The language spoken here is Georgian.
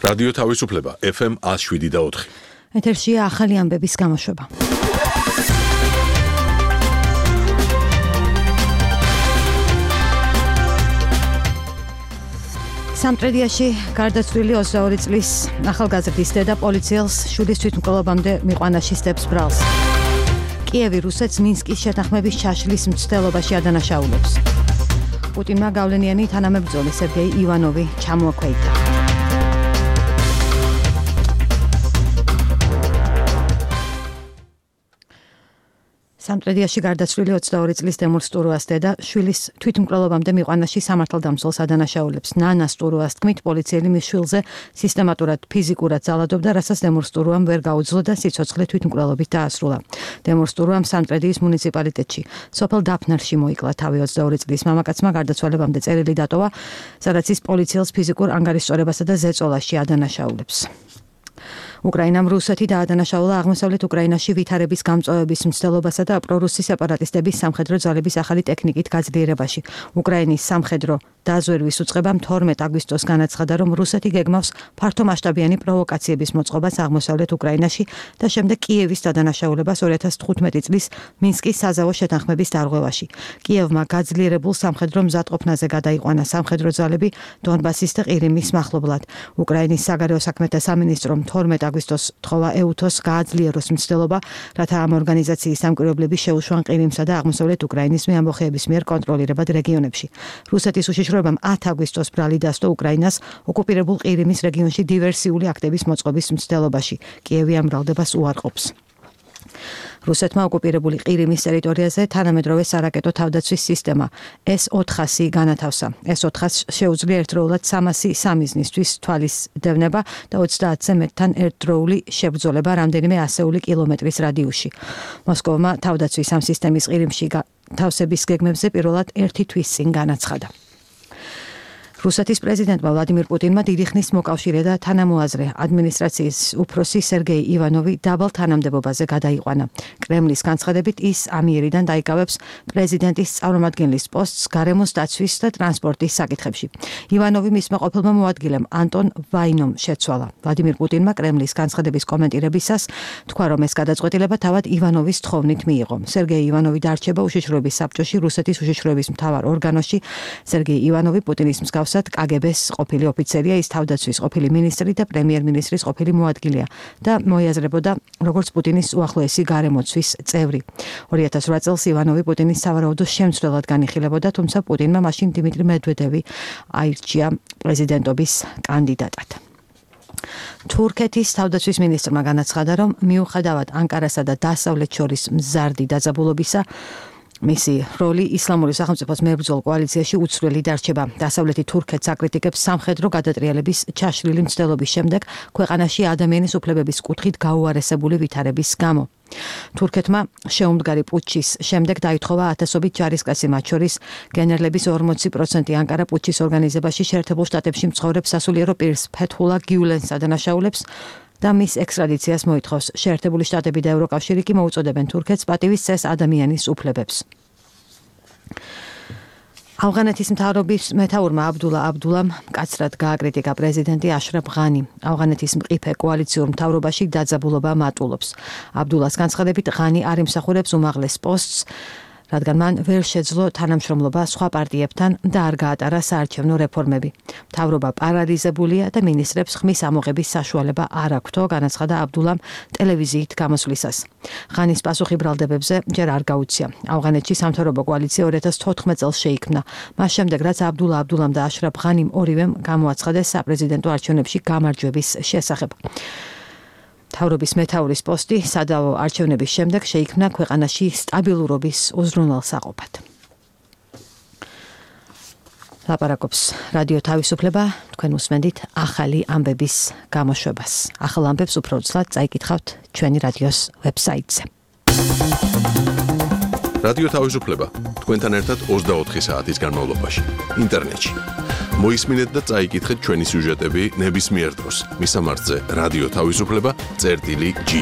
რადიო თავისუფლება FM 107.4. ეთერშია ახალი ამბების გამოშვება. სამტრედიაში გარდაცვლილი 22 წლის ახალგაზრდის დედა პოლიციელს შვილის თვითმკვლელობამდე მიყვანა სდებს ბრალს. კიევი რუსეთს მინსკის შეთანხმების ჩაშლის მცდელობაში ადანაშაულებს. პუტინმა გავლენიანი თანამებრძოლი სერგეი ივანოვი ჩამოაქვეითა. სამტრედიაში გარდაცვლილი 22 წლის დემურ სტურუას დედა შვილის თვითმკვლელობამდე მიყვანაში სამართალდამცველს ადანაშაულებს. ნანა სტურუას თქმით, პოლიციელი მის შვილზე სისტემატურად ფიზიკურად ძალადობდა, რასაც დემურ სტურუამ ვერ გაუძლო და სიცოცხლე თვითმკვლელობით დაასრულა. დემურ სტურუამ სამტრედიის მუნიციპალიტეტში სოფელ დაფნერში მოიკლა თავი 22 წლის მამაკაცმა გარდაცვალებამდე წერილი დატოვა, სადაც ის პოლიციელს ფიზიკურ ანგარიშწორებასა და ზეწოლაში ადანაშაულებს. უკრაინამ რუსეთი დაადანაშაულა აღმოსავლეთ უკრაინაში ვითარების გამწვავების მცდელობასა და პრორუსი სეპარატისტების სამხედრო ძალების ახალი ტექნიკით გაძლიერებაში. უკრაინის სამხედრო დაზვერვის უწყებამ 12 აგვისტოს განაცხადა, რომ რუსეთი გეგმავს ფართომასშტაბიანი პროვოკაციების მოწყობას აღმოსავლეთ უკრაინაში და შემდეგ კიევის დადანაშაულებას 2015 წლის მინსკის საზავო შეთანხმების დარღვევაში. კიევმა გაძლიერებულ სამხედრო მზადყოფნაზე გადაიყვანა სამხედრო ძალები დონბასის და ყირიმის მახლობლად. უკრაინის საგარეო საქმეთა სამინისტრომ 12 აგვისტოს თხოვა ეუთოს გააძლიეროს მცდელობა, რათა ამ ორგანიზაციის სამკვირვებლები შეუშვან ყირიმსა და აღმოსავლეთ უკრაინის მეამბოხეების მიერ კონტროლირებად რეგიონებში. რუსეთის უშიშროებამ 10 აგვისტოს ბრალი დასდო უკრაინას ოკუპირებულ ყირიმის რეგიონში დივერსიული აქტების მოწყობის მცდელობაში. კიევი ამ ბრალდებას უარყოფს. რუსეთმა ოკუპირებული ყირიმის ტერიტორიაზე თანამედროვე სარაკეტო თავდაცვის სისტემა S-400 განათავსა. S-400 შეუძლია ერთდროულად 300 მიზნისთვის თვალის დევნება და 30-ზე მეტთან ერთდროული შებრძოლება რამდენიმე ასეული კილომეტრის რადიუსში. მოსკოვმა თავდაცვის ამ სისტემის ყირიმში თავსების გეგმებზე პირველად 1 თვის წინ განაცხადა. რუსეთის პრეზიდენტმა ვლადიმირ პუტინმა დიდი ხნის მოკავშირე და თანამოაზრე ადმინისტრაციის უფროსი სერგეი ივანოვი დაბალ თანამდებობაზე გადაიყვანა. კრემლის განცხადებით ის ამიერიდან დაიკავებს პრეზიდენტის წარმომადგენლის პოსტს გარემოს დაცვის და ტრანსპორტის საკითხებში. ივანოვი მისმა ყოფილმა მოადგილემ ანტონ ვაინომ შეცვალა. ვლადიმირ პუტინმა კრემლის განცხადების კომენტირებისას თქვა, რომ ეს გადაწყვეტილება თავად ივანოვის თხოვნით მიიღო. სერგეი ივანოვი დარჩება უშიშროების საბჭოში, რუსეთის უშიშროების მთავარ ორგანოში. სერგეი ივანოვი პუტინის მსგავს კგბ-ს ყოფილი ოფიცერია, ის თავდაცვის ყოფილი მინისტრი და პრემიერ-მინისტრის ყოფილი მოადგილეა და მოიაზრებოდა როგორც პუტინის უახლოესი გარემოცვის წევრი. 2008 წელს ივანოვი პუტინის სავარაუდო შემცვლელად განიხილებოდა, თუმცა პუტინმა მაშინ დიმიტრი მედვედევი აირჩია პრეზიდენტობის კანდიდატად. თურქეთის თავდაცვის მინისტრმა განაცხადა, რომ მიუხედავად ანკარასა და დასავლეთ შორის მზარდი დაძაბულობისა, მისი როლი ისლამური სახელმწიფოს მებრძოლ კოალიციაში უცვლელი დარჩება. დასავლეთი თურქეთს აკრიტიკებს სამხედრო გადატრიალების ჩაშლილი მცდელობის შემდეგ ქვეყანაში ადამიანის უფლებების კუთხით გაუარესებული ვითარების გამო. თურქეთმა შეუმდგარი პუტჩის შემდეგ დაითხოვა ათასობით ჯარისკაცი, მათ შორის გენერლების 40% ანკარა პუტჩის ორგანიზებაში შეერთებულ შტატებში მცხოვრებ სასულიერო პირს ფეთჰულა გიულენს ადანაშაულებს და მის ექსტრადიციას მოითხოვს. შეერთებული შტატები და ევროკავშირი კი მოუწოდებენ თურქეთს პატივის წეს ადამიანის უფლებებს. ავღანეთის მთავრობის მეთაურმა აბდულა აბდულამ მკაცრად გააკრიტიკა პრეზიდენტი აშრაფ ღანი. ავღანეთის მყიფე კოალიციურ მთავრობაში დაძაბულობა მატულობს. აბდულას განცხადებით, ღანი არ იმსახურებს უმაღლეს პოსტს, რადგან მან ვერ შეძლო თანამშრომლობა სხვა პარტიებთან და არ გაატარა საარჩევნო რეფორმები. მთავრობა პარალიზებულია და მინისტრებს ხმის ამოღების საშუალება არ აქვთო, განაცხადა აბდულამ ტელევიზიით გამოსვლისას. ღანის პასუხი ბრალდებებზე ჯერ არ გაუცია. ავღანეთში სამთავრობო კოალიცია 2014 წელს შეიქმნა. მას შემდეგ, რაც აბდულა აბდულამ და აშრაფ ღანიმ ორივემ გამოაცხადეს საპრეზიდენტო არჩევნებში გამარჯვების შესახებ. მთავრობის მეთაურის პოსტი სადავო არჩევნების შემდეგ შეიქმნა ქვეყანაში სტაბილურობის უზრუნველსაყოფად. ლაპარაკობს რადიო თავისუფლება, თქვენ უსმენთ ახალი ამბების გამოშვებას. ახალ ამბებს უფრო ცლად წაიკითხავთ ჩვენი რადიოს ვებსაიტზე. რადიო თავისუფლება თქვენთან ერთად 24 საათის განმავლობაში ინტერნეტში. მოისმინეთ და წაიკითხეთ ჩვენი სიუჟეტები ნებისმიერ დროს. მისამართზე რადიო თავისუფლება წერტილი G.